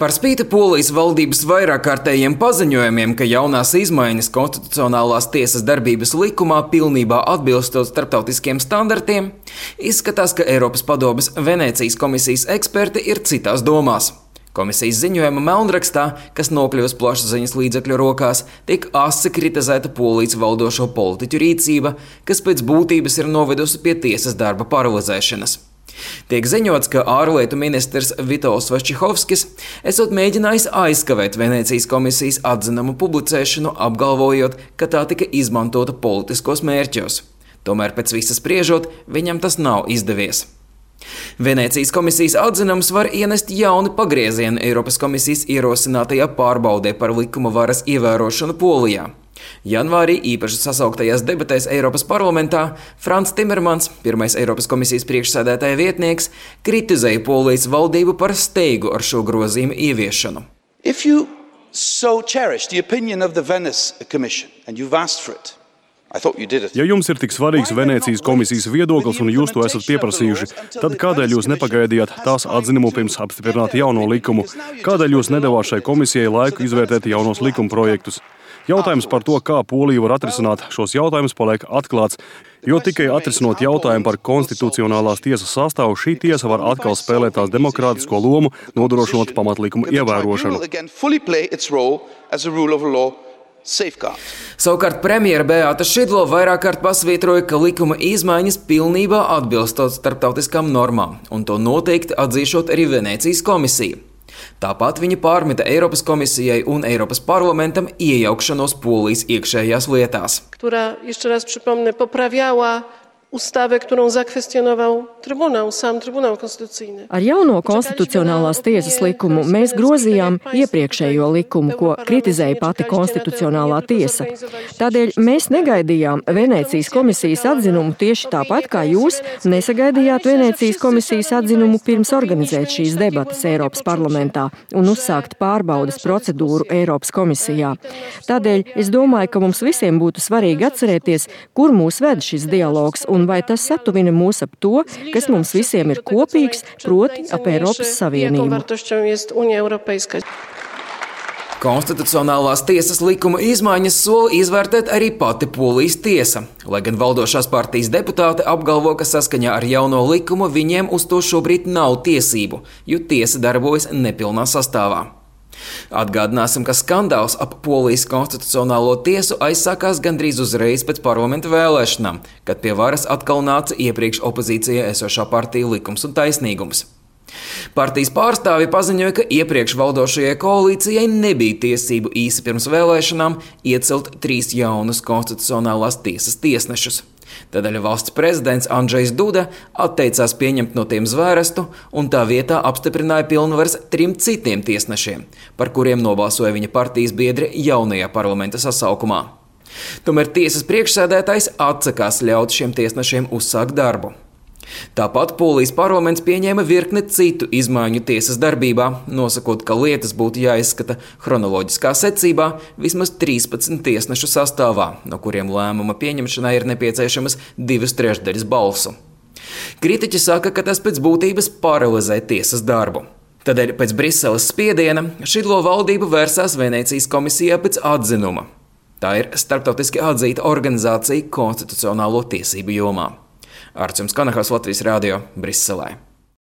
Par spīti Polijas valdības vairākkārtējiem paziņojumiem, ka jaunās izmaiņas konstitucionālās tiesas darbības likumā pilnībā atbilstot starptautiskiem standartiem, izskatās, ka Eiropas padomes Venēcijas komisijas eksperti ir citās domās. Komisijas ziņojuma melnrakstā, kas nokļuvusi plašsaziņas līdzekļu rokās, tiek asi kritizēta Polijas valdošo politiķu rīcība, kas pēc būtības ir novedusi pie tiesas darba paralizēšanas. Tiek ziņots, ka ārlietu ministrs Vitols Vaščihovskis esot mēģinājis aizkavēt Venēcijas komisijas atzinumu publicēšanu, apgalvojot, ka tā tika izmantota politiskos mērķos. Tomēr pēc visa spriežot, viņam tas nav izdevies. Venēcijas komisijas atzinums var ienest jaunu pagriezienu Eiropas komisijas ierosinātajā pārbaudē par likuma varas ievērošanu Polijā. Janvārī īpaši sasauktajās debatēs Eiropas parlamentā Frans Timermans, pirmais Eiropas komisijas priekšsēdētāja vietnieks, kritizēja Polijas valdību par steigu ar šo grozījumu ieviešanu. If you so cherish the opinion of the Venice Commission and you've asked for it, Ja jums ir tik svarīgs Venēcijas komisijas viedoklis un jūs to esat pieprasījuši, tad kādēļ jūs nepagaidījāt tās atzinumu pirms apstiprināt jauno likumu? Kādēļ jūs nedavāt šai komisijai laiku izvērtēt jaunos likuma projektus? Jautājums par to, kā Polija var atrisināt šos jautājumus, paliek atklāts, jo tikai atrisinot jautājumu par konstitucionālās tiesas sastāvu, šī tiesa var atkal spēlēt tās demokrātisko lomu, nodrošinot pamatlikumu ievērošanu. Savukārt premjera Beāta Šidlo vairākkārt pasvītroja, ka likuma izmaiņas pilnībā atbilstot starptautiskām normām, un to noteikti atzīšot arī Venēcijas komisija. Tāpat viņa pārmeta Eiropas komisijai un Eiropas parlamentam iejaukšanos Polijas iekšējās lietās. Która, jeszcze raz przypomnę, poprawiała ustawę, którą zakwestionował sam Trybunał Konstytucyjny. Ar jauno konstitucionālās tiesas likumu mēs grozījām iepriekšējo likumu, ko kritizēja pati konstitucionālā tiesa. Tādēļ mēs negaidījām Venēcijas komisijas atzinumu tieši tāpat, kā jūs nesagaidījāt Venēcijas komisijas atzinumu pirms organizēt šīs debatas Eiropas parlamentā un uzsākt pārbaudes procedūru Eiropas komisijā. Tādēļ es domāju, ka mums visiem būtu svarīgi atcerēties, kur mūs ved šis dialogs un vai tas satuvina mūs ap to, kas mums visiem ir kopīgs, proti ap Eiropas Savienību. Konstitucionālās tiesas likuma izmaiņas sola izvērtēt arī pati Polijas tiesa, lai gan valdošās partijas deputāti apgalvo, ka saskaņā ar jauno likumu viņiem uz to šobrīd nav tiesību, jo tiesa darbojas nepilnā sastāvā. Atgādināsim, ka skandāls ap Polijas konstitucionālo tiesu aizsākās gandrīz uzreiz pēc parlamenta vēlēšanām, kad pie varas atkal nāca iepriekš opozīcijā esošā partija Likums un taisnīgums. Partijas pārstāvji paziņoja, ka iepriekš valdošajai koalīcijai nebija tiesību īsi pirms vēlēšanām iecelt 3 jaunus konstitucionālās tiesas tiesnešus. Tādēļ valsts prezidents Andžejs Duda atteicās pieņemt no tiem zvērestu un tā vietā apstiprināja pilnvaras 3 citiem tiesnešiem, par kuriem nobalsoja viņa partijas biedri jaunajā parlamenta sasaukumā. Tomēr tiesas priekšsēdētājs atsakās ļaut šiem tiesnešiem uzsākt darbu. Tāpat Polijas parlaments pieņēma virkni citu izmaiņu tiesas darbībā, nosakot, ka lietas būtu jāizskata chronoloģiskā secībā vismaz 13 tiesnešu sastāvā, no kuriem lēmuma pieņemšanai ir nepieciešamas 2/3 balsu. Kritiķi saka, ka tas pēc būtības paralizē tiesas darbu. Tādēļ pēc Briseles spiediena Šidlo valdība vērsās Venēcijas komisijā pēc atzinuma. Tā ir starptautiski atzīta organizācija konstitucionālo tiesību jomā. Arčuns Kanahaus, Latvijas radio, Briselē.